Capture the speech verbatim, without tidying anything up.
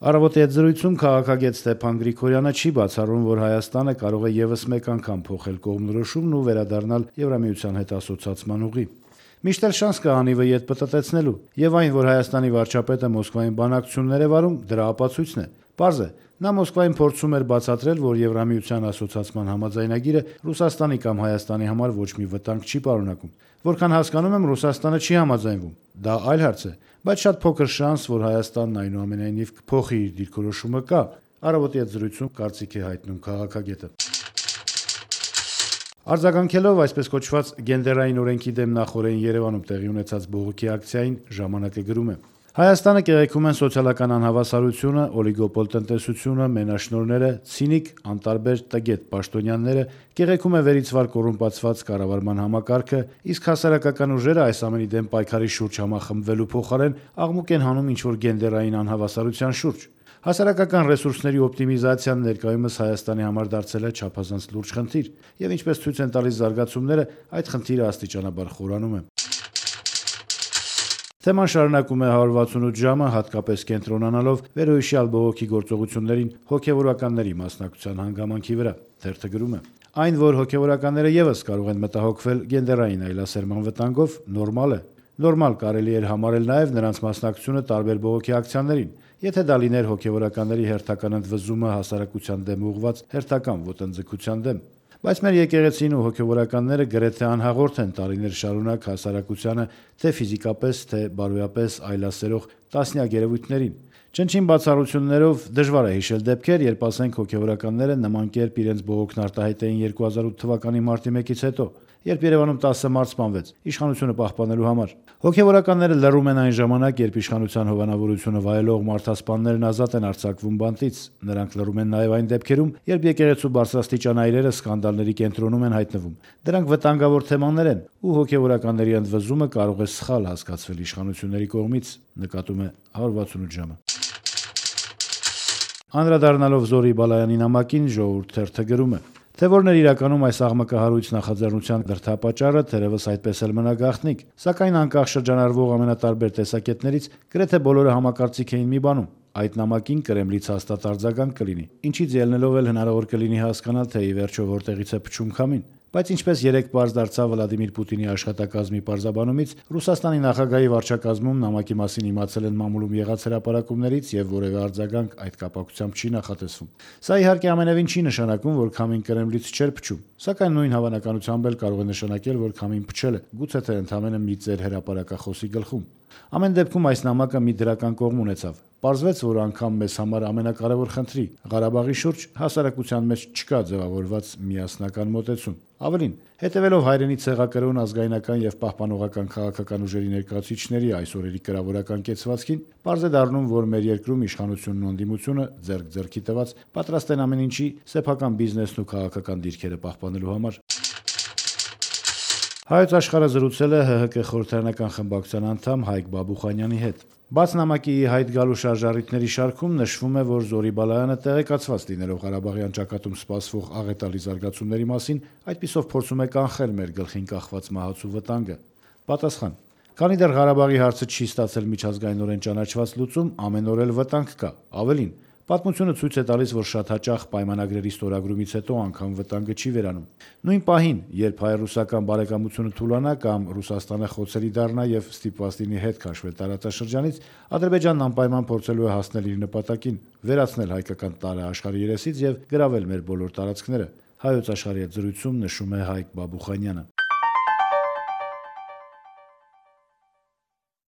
Առավոտի հետ զրույցում քաղաքագետ Ստեփան Գրիգորյանը չի բացառում, որ Հայաստանը կարող է ևս մեկ անգամ փոխել կողմնորոշումն ու վերադառնալ Եվրամիության հետ ասոցացման ուղի։ Միշտ էլ շանս կա անիվը ետ պտտեցնելու, եւ այն, որ Հայաստանի վարչապետը Մոսկվային բանակցություններ է վարում, դրա ապացույցն է։ Պարզ է, նա Մոսկվային փորձում էր բացատրել, որ Եվրամիության ասոցացման համաձայնագիրը Ռուսաստանի կամ Հայաստանի համար ոչ մի վտանգ չի պարունակում։ Որքան հասկանում եմ, Ռուսաստանը չի համաձայնվում։ Դա այլ հարց է, բայց շատ փոքր շանս, որ Հայաստանն այնուամենայնիվ կփոխի իր դիրքորոշումը կա։ Առավոտի հետ զրույցում կարծիք է հայտնում քաղաքագետը։ Արձագանքելով այսպես կոչված գենդերային օրենքի դեմ նախօրեին Երևանում տեղի ունեցած բողոքի ակցիային ժամանակը գրում է. Հայաստանը կեղեքում են սոցիալական անհավասարությունը, օլիգոպոլ տնտեսությունը, մենաշնորհները, ցինիկ, անտարբեր տգետ պաշտոնյաները, կեղեքում է վերիցվար կոռումպացված կառավարման համակարգը, իսկ հասարակական ուժերը այս ամենի դեմ պայքարի շուրջ համախմբվելու փոխարեն աղմուկ են հանում ինչ-որ գենդերային անհավասարության շուրջ։ Հասարակական ռեսուրսների օպտիմիզացիան ներկայումս Հայաստանի համար դարձել է չափազանց լուրջ խնդիր, եւ ինչպես ցույց են տալիս զարգացումները, այդ խնդիրը աստիճանաբար խորանում է։ Թեման շարունակում է հարյուր վաթսունութ ժամը, հատկապես կենտրոնանալով վերոհիշյալ բողոքի գործողություններին հոգևորականների մասնակցության հանգամանքի վրա։ Թերթը գրում է. Այն, որ հոգևորականները ևս կարող են մտահոգվել գենդերային այլասերման վտանգով, նորմալ է։ Նորմալ կարելի էր համարել նաև նրանց մասնակցությունը տարբեր բողոքի ակցիաներին, եթե դա լիներ հոգևորականների հերթական ընդվզումը հասարակության դեմ ուղղված հերթական ոտնձգության դեմ։ Բայց մեր եկեղեցին ու հոգևորականները գրեթե անհաղորդ են տարիներ շարունակ հասարակությանը թե ֆիզիկապես, թե բարոյապես այլասերող տասնյակ երևույթներին։ Չնչին բացառություններով դժվար է հիշել դեպքեր, երբ ասենք հոգևորականները նման կերպ իրենց բողոքն արտահայտեին երկու հազար ութ թվականի մարտի մեկից հետո, երբ Երևանում տասը մարդ սպանվեց իշխանությունը պահպանելու համար։ Հոգևորականները լռում են այն ժամանակ, երբ իշխանության հովանավորությունը վայելող մարդասպաններն ազատ են արձակվում բանտից։ Նրանք լռում են նաև այն դեպքերում, երբ եկեղեցու բարձրաստիճան այրերը սկանդալների կենտրոնում են հայտնվում։ Դրանք վտանգավոր թեմաներ են, ու հոգևորականների ընդվզումը կարող է սխալ հասկացվել իշխանությունների կողմից, նկատում է հարյուր վաթսունութ ժամը։ Անդրադառնալով Զորի Բալայանի նամակին Ժողովուրդ թերթը գրում է. Թե որն էր իրականում այս աղմկահարույց նախաձեռնության դրդապատճառը, թերևս այդպես էլ մնա գաղտնիք, սակայն անկախ շրջանառվող ամենատարբեր տեսակետներից գրեթե բոլորը համակարծիք էին մի բանում. այդ նամակին Կրեմլից հաստատ արձագանք կլինի, ինչից ելնելով էլ հնարավոր կլինի հասկանալ, թե ի վերջո որտեղից է փչում քամին։ Բայց ինչպես երեք պարզ դարձավ Վլադիմիր Պուտինի աշխատակազմի պարզաբանումից, Ռուսաստանի նախագահի վարչակազմում նամակի մասին իմացել են մամուլում եղած հրապարակումներից եւ որևէ արձագանք այդ կապակցությամբ չի նախատեսվում։ Սա իհարկե ամենևին չի նշանակում, որ քամին Կրեմլից չէր փչում, սակայն նույն հավանականությամբ էլ կարող է նշանակել, որ քամին փչել է, գուցե թե ընդհանրապես մի ծեր հրապարակախոսի գլխում։ Ամեն դեպքում այս նամակը մի դրական կողմ ունեցավ։ Պարզվեց, որ անգամ մեզ համար ամենակարևոր խնդրի՝ Ղարաբաղի շուրջ հասարակության մեջ չկա ձևավորված միասնական մոտեցում։ Ավելին, հետևելով հայրենի ցեղակրոն ազգայնական եւ պահպանողական քաղաքական ուժերի ներկայացուցիչների այս օրերի կրավորական կեցվածքին, պարզ է դառնում, որ մեր երկրում իշխանությունն ու ընդդիմությունը ձեռք ձեռքի տված պատրաստ են ամեն ինչի սեփական բիզնեսն ու քաղաքական դիրքերը պահպանելու համար։ Հայոց աշխարհը զրուցել է ՀՀԿ խորհրդարանական խմբակցության անդամ Հայկ Բաբուխանյանի հետ։ Բաց նամակի հայտ գալու շարժառիթների շարքում նշվում է, որ Զորի Բալայանը տեղեկացված լինելով Ղարաբաղյան ճակատում սպասվող աղետալի զարգացումների մասին, այդպիսով փորձում է կանխել մեր գլխին կախված մահացու վտանգը։ Պատասխան. Քանի դեռ Ղարաբաղի հարցը չի ստացել միջազգայինորեն ճանաչված լուծում, ամեն օր էլ վտանգ կա։ Ավելին, պատմությունը ցույց է տալիս, որ շատ հաճախ պայմանագրերի ստորագրումից հետո անգամ վտանգը չի վերանում։ Նույն պահին, երբ հայ-ռուսական բարեկամությունը թուլանա կամ Ռուսաստանը խոցելի դառնա եւ ստիպված լինի հետ քաշվել տարածաշրջանից, Ադրբեջանն անպայման փորձելու է հասնել իր նպատակին՝ վերացնել հայկական տարը աշխարհի երեսից եւ գրավել մեր բոլոր տարածքները։ Հայոց աշխարհի հետ զրույցում նշում է Հայկ Բաբուխանյանը։